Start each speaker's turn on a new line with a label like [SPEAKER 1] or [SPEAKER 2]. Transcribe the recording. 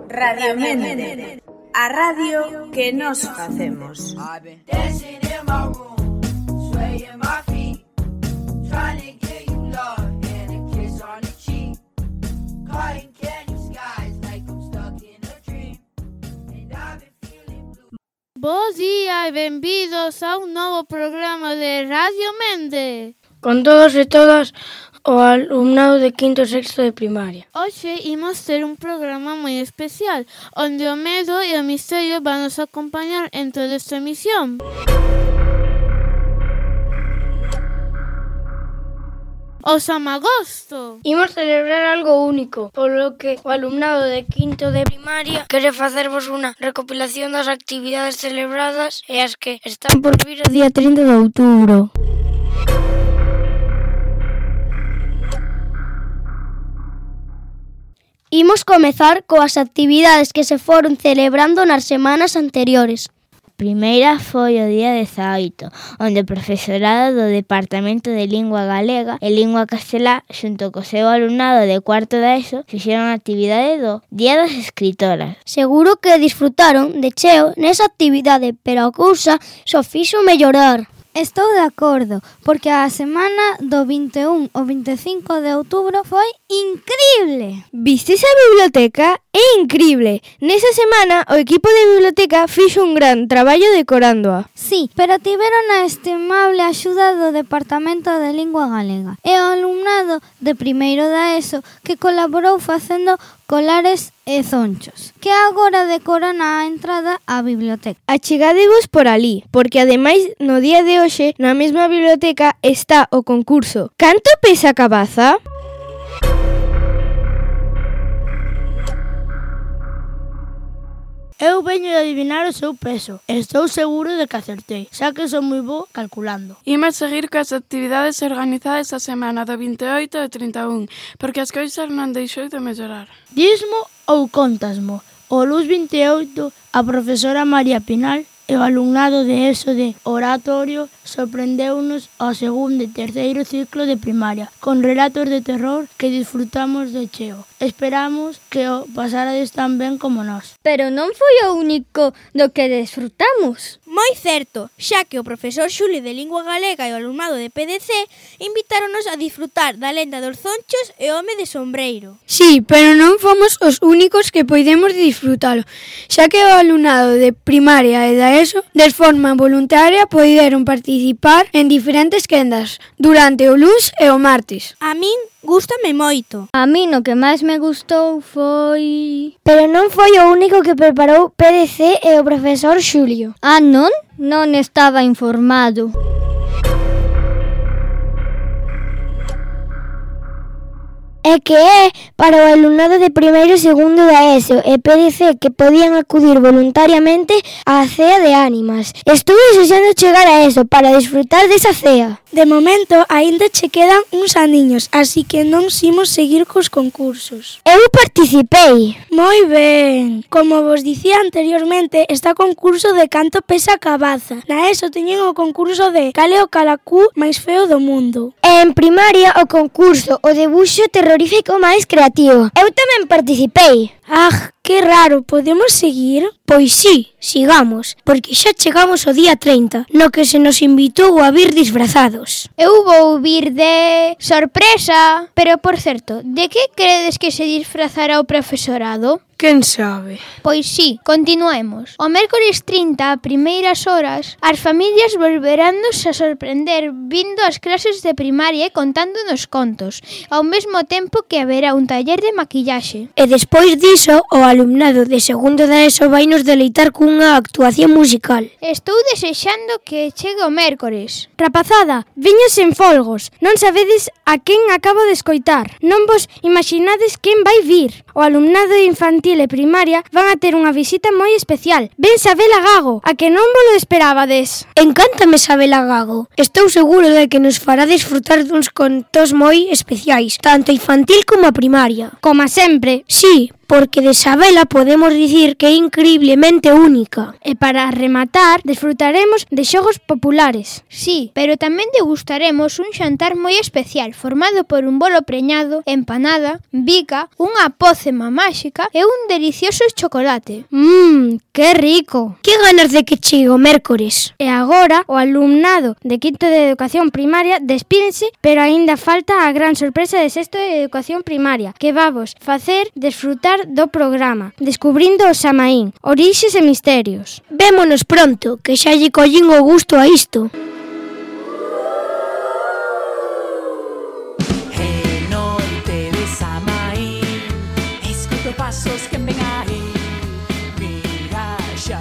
[SPEAKER 1] Radio Mente, a radio que nos facemos.
[SPEAKER 2] Bos días e benvidos a un novo programa de Radio Mente.
[SPEAKER 3] Con todos e todas o alumnado de quinto e sexto de primaria.
[SPEAKER 2] Hoxe imos ter un programa moi especial, onde o medo e o misterio van nos acompañar en toda esta emisión. O Samagosto.
[SPEAKER 3] Imos celebrar algo único, polo que o alumnado de quinto de primaria quere facervos unha recopilación das actividades celebradas e as que están por vir o día 30 de outubro.
[SPEAKER 4] Imos comezar coas actividades que se foron celebrando nas semanas anteriores.
[SPEAKER 5] Primeira foi o día 18, onde o profesorado do Departamento de Lingua Galega e Lingua Castelá, xunto co seu alumnado de cuarto de ESO, fixeron a actividade do Día das Escritoras.
[SPEAKER 4] Seguro que disfrutaron de cheo nesa actividade, pero a cousa só fixo mellorar.
[SPEAKER 6] Estou de acordo, porque a semana do 21 ao 25 de outubro foi increíble.
[SPEAKER 7] Vistes a biblioteca? É increíble. Nesa semana o equipo de biblioteca fixo un gran traballo decorándoa.
[SPEAKER 6] Sí, pero tiveron a estimable axuda do Departamento de Lingua Galega e o alumnado de primeiro da ESO que colaborou facendo colares e zonchos, que agora decoran a entrada á biblioteca.
[SPEAKER 7] Achegadevos por ali, porque ademais no día de hoxe na mesma biblioteca está o concurso Canto pesa a cabaza?
[SPEAKER 3] Eu veño de adivinar o seu peso. Estou seguro de que acertei, xa que son moi bo calculando.
[SPEAKER 8] Imos seguir coas actividades organizadas a semana do 28 e 31, porque as cousas non deixou de mellorar.
[SPEAKER 3] Dismo ou contasmo? O Luz 28, a profesora María Pinal e o alumnado de ESO de Oratorio sorprendeunos ao segundo e terceiro ciclo de primaria, con relatos de terror que disfrutamos de cheo. Esperamos que o pasarades tan ben como nós.
[SPEAKER 4] Pero non foi o único do que desfrutamos.
[SPEAKER 9] Moi certo, xa que o profesor Xuli de Lingua Galega e o alumnado de PDC invitáronos a disfrutar da lenda dos zonchos e o home de sombreiro.
[SPEAKER 7] Sí, pero non fomos os únicos que poidemos disfrutalo, xa que o alumnado de primaria e da ESO, de forma voluntaria, poideron participar en diferentes quendas durante o luns e o martes.
[SPEAKER 9] A min gústame moito.
[SPEAKER 4] A min o que máis me gustou foi...
[SPEAKER 5] Pero non foi o único que preparou PDC e o profesor Xulio.
[SPEAKER 4] Ah, non? Non estaba informado.
[SPEAKER 5] É que é para o alumnado de primeiro e segundo da ESO e PDC que podían acudir voluntariamente á cea de ánimas. Estou desexando chegar a ESO para disfrutar desa cea.
[SPEAKER 10] De momento, aínda che quedan uns aniños, así que non imos seguir cos concursos.
[SPEAKER 5] Eu participei.
[SPEAKER 10] Moi ben. Como vos dicía anteriormente, está o concurso de Canto pesa a cabaza. Na ESO teñen o concurso de Cal é o calacú máis feo do mundo.
[SPEAKER 5] E en primaria o concurso o debuxo terrorífico máis creativo. Eu tamén participei.
[SPEAKER 10] Ah, que raro, podemos seguir?
[SPEAKER 5] Pois sí, sigamos, porque xa chegamos ao día 30, no que se nos invitou a vir disfrazados.
[SPEAKER 4] Eu vou vir de... sorpresa! Pero, por certo, de que credes que se disfrazará o profesorado?
[SPEAKER 7] Quen sabe?
[SPEAKER 4] Pois sí, continuemos. O mércores 30, a primeiras horas, as familias volverannos a sorprender vindo ás clases de primaria e contándonos contos, ao mesmo tempo que haberá un taller de maquillaxe.
[SPEAKER 5] E despois diso, o alumnado de segundo da ESO vai nos deleitar cunha actuación musical.
[SPEAKER 4] Estou desexando que chegue o mércores.
[SPEAKER 7] Rapazada, viños en folgos. Non sabedes a quen acabo de escoitar. Non vos imaginades quen vai vir. O alumnado infantil e primaria van a ter unha visita moi especial. Ven Sabela Gago, a que non vos lo esperábades.
[SPEAKER 5] Encántame Sabela Gago. Estou seguro de que nos fará disfrutar duns contos moi especiais, tanto infantil como a primaria.
[SPEAKER 7] Como sempre.
[SPEAKER 5] Sí,
[SPEAKER 10] porque de sabela podemos dicir que é increíblemente única.
[SPEAKER 7] E para rematar, desfrutaremos de xogos populares.
[SPEAKER 4] Sí, pero tamén degustaremos un xantar moi especial formado por un bolo preñado, empanada, bica, unha pócema máxica e un delicioso chocolate.
[SPEAKER 7] Que rico!
[SPEAKER 10] Que ganas de que chegue o mércores.
[SPEAKER 7] E agora o alumnado de quinto de educación primaria despídense, pero aínda falta a gran sorpresa de sexto de educación primaria, que vamos facer desfrutar do programa, descubrindo o Samaín, orixes e misterios.
[SPEAKER 10] Vémonos pronto, que xa lle collín o gusto a isto.
[SPEAKER 11] Noite de Samaín, escuto pasos que ven aí, mira xa